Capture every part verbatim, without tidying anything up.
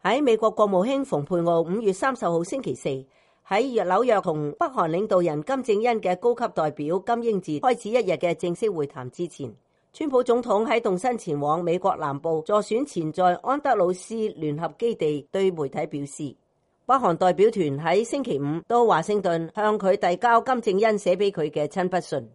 喺美國國務卿蓬佩奧五月三十號星期四喺紐約同北韓領導人金正恩嘅高級代表金英哲開始一日嘅正式會談之前，川普總統喺動身前往美國南部助選前在安德魯斯聯合基地，對媒體表示，北韓代表團喺星期五到華盛頓向佢遞交金正恩寫俾佢嘅親筆信。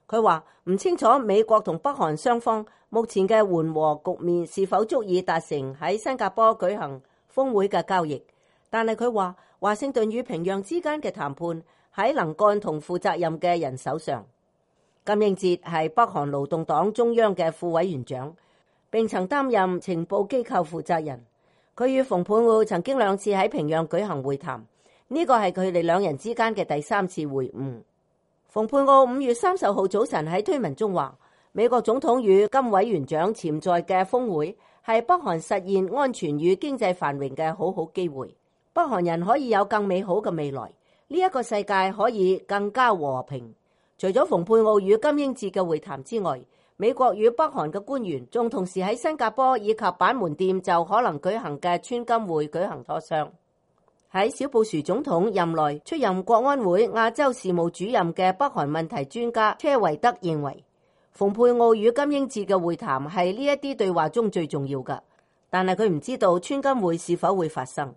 佢話唔清楚美國同北韓雙方目前嘅緩和局面是否足以達成喺新加坡舉行峰會嘅交易，但係佢話華盛頓與平壤之間嘅談判喺能幹同負責任嘅人手上。金英哲係北韓勞動黨中央嘅副委員長，並曾擔任情報機構負責人。佢與蓬佩奧曾經兩次喺平壤舉行會談，呢個係佢哋兩人之間嘅第三次會晤。蓬佩奧五月三十號早晨喺推文中話，美國總統與金委員長潛在嘅峰會係北韓實現安全與經濟繁榮嘅好好機會，北韓人可以有更美好嘅未來，呢一個世界可以更加和平。除咗蓬佩奧與金英哲嘅會談之外，美國與北韓嘅官員仲同時喺新加坡以及板門店就可能舉行嘅川金會舉行磋商。喺小布殊總統任內出任國安會亞洲事務主任嘅北韓問題專家車維德認為，蓬佩奧與金英哲嘅會談係呢一啲對話中最重要嘅，但係佢唔知道川金會是否會發生。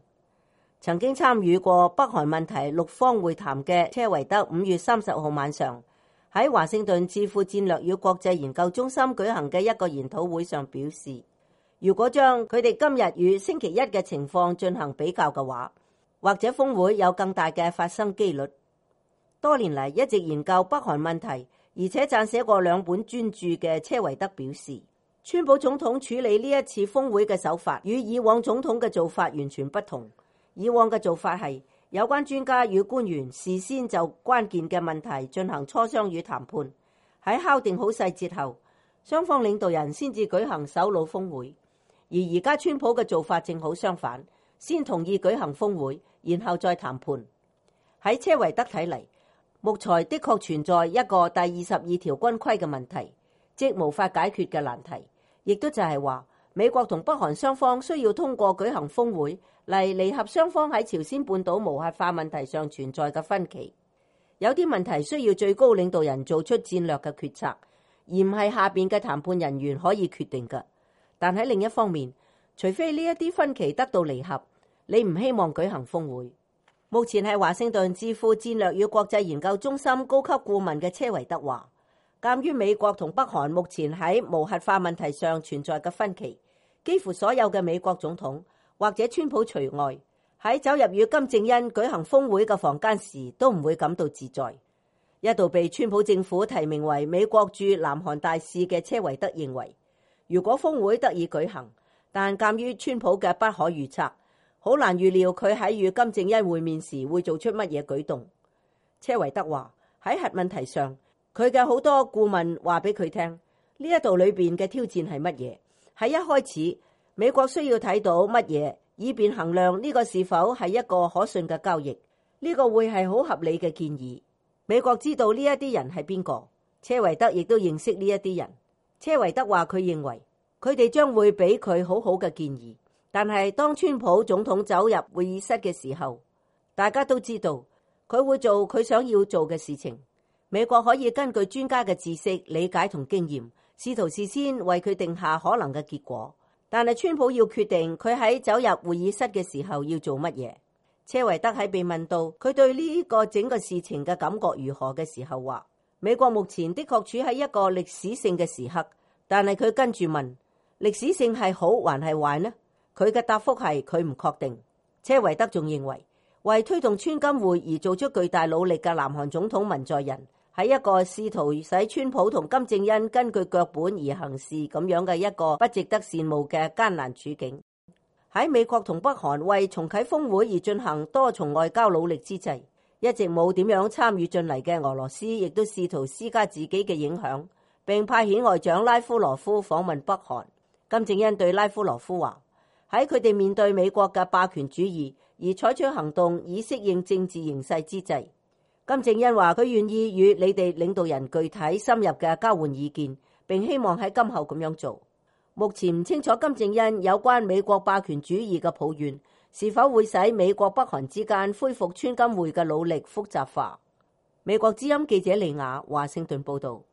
曾經參與過北韓問題六方會談嘅車維德五月三十號晚上喺華盛頓智庫戰略與國際研究中心舉行嘅一個研討會上表示，如果將佢哋今日與星期一嘅情況進行比較嘅話，或者峰會有更大嘅發生機率。多年嚟一直研究北韓問題，而且撰寫過兩本專著嘅車維德表示，川普總統處理呢一次峰會嘅手法與以往總統嘅做法完全不同。以往嘅做法係有關專家與官員事先就關鍵嘅問題進行磋商與談判，喺敲定好細節後，雙方領導人先至舉行首腦峰會。而而家川普嘅做法正好相反，先同意舉行峰會，然後再談判。喺車維德睇嚟，目前的確存在一個第二十二條軍規嘅問題，即無法解決嘅難題，亦都就係話美國同北韓雙方需要通過舉行峰會嚟彌合雙方喺朝鮮半島無核化問題上存在嘅分歧。有啲問題需要最高領導人做出戰略嘅決策，而唔係下邊嘅談判人員可以決定嘅。但喺另一方面，除非呢一啲分歧得到彌合，你唔希望舉行峰會。目前係華盛頓智庫戰略與國際研究中心高級顧問嘅車維德話，鑑於美國同北韓目前喺無核化問題上存在嘅分歧，幾乎所有嘅美國總統或者川普除外，喺走入與金正恩舉行峰會嘅房間時都唔會感到自在。一度被川普政府提名為美國駐南韓大使嘅車維德認為，如果峰會得以舉行，但鑑於川普嘅不可預測，好難預料佢喺與金正恩會面時會做出乜嘢舉動。車維德話喺核問題上，佢嘅好多顧問話俾佢聽，呢一度裏邊嘅挑戰係乜嘢？喺一開始，美國需要睇到乜嘢，以便衡量呢個是否係一個可信嘅交易。呢個會係好合理嘅建議。美國知道呢一啲人係邊個，車維德亦都認識呢一啲人。車維德話佢認為佢哋將會俾佢好好嘅建議。但係當川普總統走入會議室嘅時候，大家都知道佢會做佢想要做嘅事情。美國可以根據專家嘅知識、理解同經驗，試圖事先為佢定下可能嘅結果。但係川普要決定佢喺走入會議室嘅時候要做乜嘢。車維德喺被問到佢對呢個整個事情嘅感覺如何嘅時候話，美國目前的確處喺一個歷史性嘅時刻。但係佢跟住問，歷史性係好還係壞呢？佢嘅答覆係佢唔確定。車維德仲認為，為推動川金會而做出巨大努力嘅南韓總統文在寅，喺一個試圖使川普同金正恩根據腳本而行事咁樣嘅一個不值得羨慕嘅艱難處境。喺美國同北韓為重啟峰會而進行多重外交努力之際，一直冇點樣參與進嚟嘅俄羅斯亦都試圖施加自己嘅影響，並派遣外長拉夫羅夫訪問北韓。金正恩對拉夫羅夫話，喺佢哋面對美國嘅霸權主義而採取行動以適應政治形勢之際，金正恩話佢願意與你哋領導人具體深入嘅交換意見，並希望喺今後咁樣做。目前唔清楚金正恩有關美國霸權主義嘅抱怨是否會使美國北韓之間恢復川金會嘅努力複雜化。美國之音記者李雅華盛頓報道。